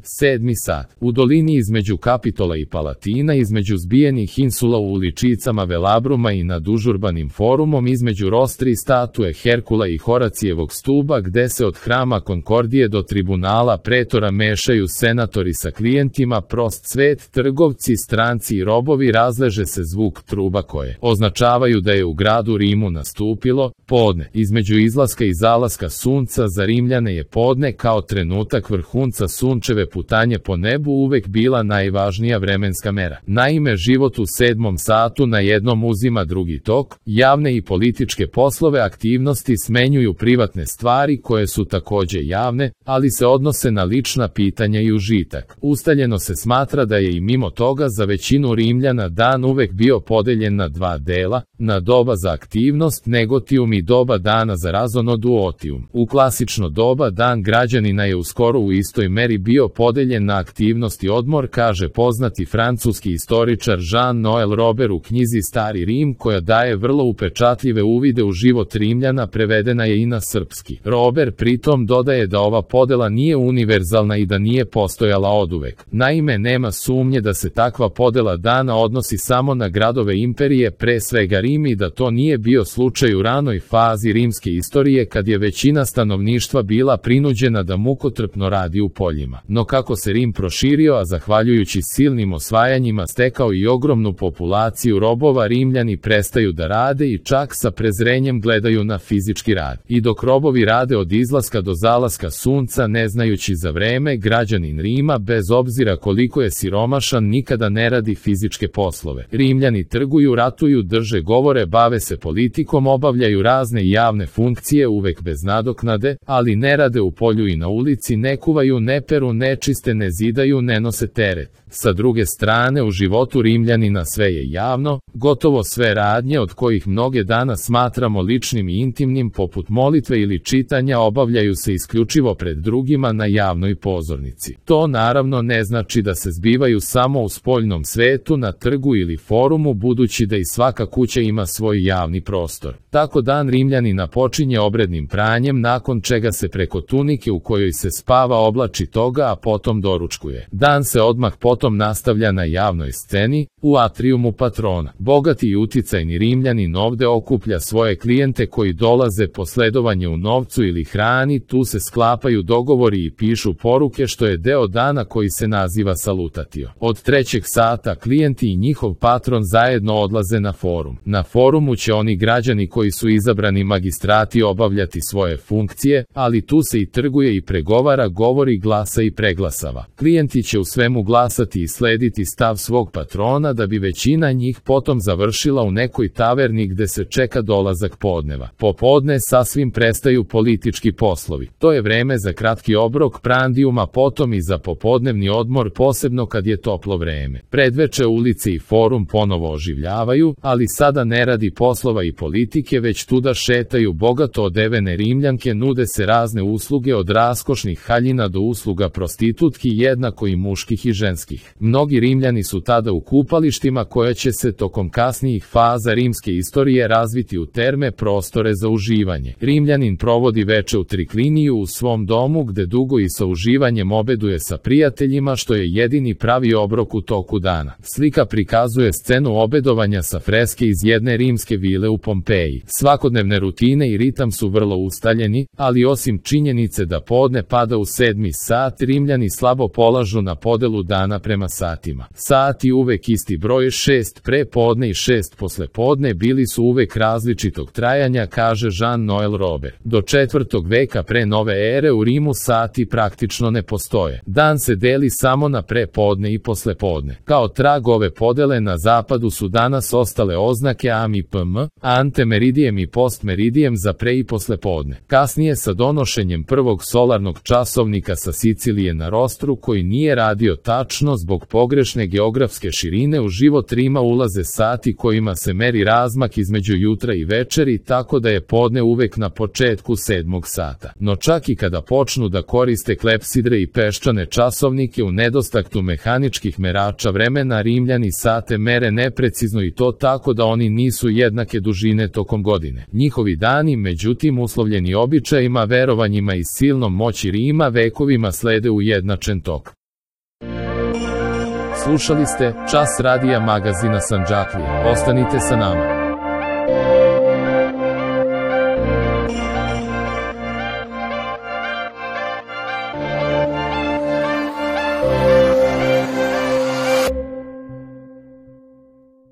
7. sat. U dolini između Kapitola i Palatina, između zbijenih insula u uličicama Velabruma i nad užurbanim forumom, između rostri statue Herkula i Horacijevog stuba, gde se od hrama Konkordije do tribunala pretora mešaju senatori sa klijentima, prost svet, trgovci, stranci i robovi, razleže se zvuk truba koje označavaju da je u gradu Rimu nastupilo podne. Između izlaska i zalaska sunca za Rimljane je podne kao trenutak vrhunca sunčeve putanje po nebu uvek bila najvažnija vremenska mera. Naime, život u 7. satu na jednom uzima drugi tok, javne i političke poslove aktivnosti smenjuju privatne stvari koje su takođe javne, ali se odnose na lična pitanja i užitak. Ustaljeno se smatra da je i mimo toga za većinu Rimljana dan uvek bio podeljen na dva dela, na doba za aktivnost negotium i doba dana za razono duotium. U klasično doba dan građanina je uskoro u istoj meri bio podeljen na aktivnost i odmor, kaže poznati francuski istoričar Jean-Noël Robert u knjizi Stari Rim, koja daje vrlo upečatljive uvide u život Rimljana, prevedena je i na srpski. Robert pritom dodaje da ova podela nije univerzalna i da nije postojala oduvek. Naime, nema sumnje da se takva podela dana odnosi samo na gradove imperije, pre svega Rim, i da to nije bio slučaj u ranoj fazi rimske istorije kad je većina stanovništva bila prinuđena da mukotrpno radi u poljima. No kako se Rim proširio, a zahvaljujući silnim osvajanjima stekao i ogromnu populaciju robova, Rimljani prestaju da rade i čak sa prezrenjem gledaju na fizički rad. I dok robovi rade od izlaska do zalaska sunca, ne znajući za vreme, građanin Rima, bez obzira koliko je siromašan, nikada ne radi fizičke poslove. Rimljani trguju, ratuju, drže govore, bave se politikom, obavljaju razne javne funkcije uvek bez nadoknade, ali ne rade u polju i na ulici, ne kuvaju, ne peru, ne čiste, ne zidaju, ne nose teret. Sa druge strane, u životu Rimljanina sve je javno, gotovo sve radnje od kojih mnoge danas smatramo ličnim i intimnim, poput molitve ili čitanja, obavljaju se isključivo pred drugima na javnoj pozornici. To naravno ne znači da se zbivaju samo u spoljnom svetu, na trgu ili forumu, budući da i svaka kuća ima svoj javni prostor. Tako dan Rimljanina počinje obrednim pranjem, nakon čega se preko tunike u kojoj se spava oblači toga, a potom doručkuje. Dan se odmah potom nastavlja na javnoj sceni, u atrijumu patrona. Bogati i uticajni Rimljanin ovde okuplja svoje klijente koji dolaze po sledovanje u novcu ili hrani, tu se sklapaju dogovori i pišu poruke, što je deo dana koji se naziva salutatio. Od 3. sata klijenti i njihov patron zajedno odlaze na forum. Na forumu će oni građani koji su izabrani magistrati obavljati svoje funkcije, ali tu se i trguje i pregovara, govori, glasa i preglasava. Klijenti će u svemu glasati i slediti stav svog patrona, da bi većina njih potom završila u nekoj taverni gde se čeka dolazak podneva. Popodne sasvim prestaju politički poslovi. To je vreme za kratki obrok prandijuma, potom i za popodnevni odmor, posebno kad je toplo vreme. Predveče ulice i forum ponovo oživljavaju, ali sada ne radi poslova i politike, već tuda šetaju bogato odevene Rimljanke, nude se razne usluge od raskošnih haljina do usluga prostitutki, jednako i muških i ženskih. Mnogi Rimljani su tada u kupalištima koja će se tokom kasnijih faza rimske istorije razviti u terme, prostore za uživanje. Rimljanin provodi veče u trikliniju u svom domu, gde dugo i sa uživanjem obeduje sa prijateljima, što je jedini pravi obrok u toku dana. Slika prikazuje scenu obedovanja sa freske iz jedne rimske vile u Pompeji. Svakodnevne rutine i ritam su vrlo ustaljeni, ali osim činjenice da podne pada u 7. sat, Rimljani slabo polažu na podelu dana prema satima. Sati uvek isti broj, 6 pre podne i 6 posle podne, bili su uvek različitog trajanja, kaže Jean-Noël Robert. Do 4. veka pre nove ere u Rimu sati praktično ne postoje. Dan se deli samo na prepodne i poslepodne. Kao trag ove podele na zapadu su danas ostale oznake am i pm, antemeridijem i postmeridijem za pre i poslepodne. Kasnije sa donošenjem prvog solarnog časovnika sa Sicilije na rostru, koji nije radio tačno zbog pogrešne geografske širine, u život Rima ulaze sati kojima se meri razmak između jutra i večeri, tako da je podne uvek na početku 7. sata. No čak i kada počnu da koriste klepsidre i peščane časovnike, u nedostatku mehaničkih merača vremena, Rimljani sate mere neprecizno, i to tako da oni nisu jednake dužine tokom godine. Njihovi dani, međutim, uslovljeni običajima, verovanjima i silnom moći Rima, vekovima slede ujednačen tok. Slušali ste Čas radija magazina Sandžaklija. Ostanite sa nama.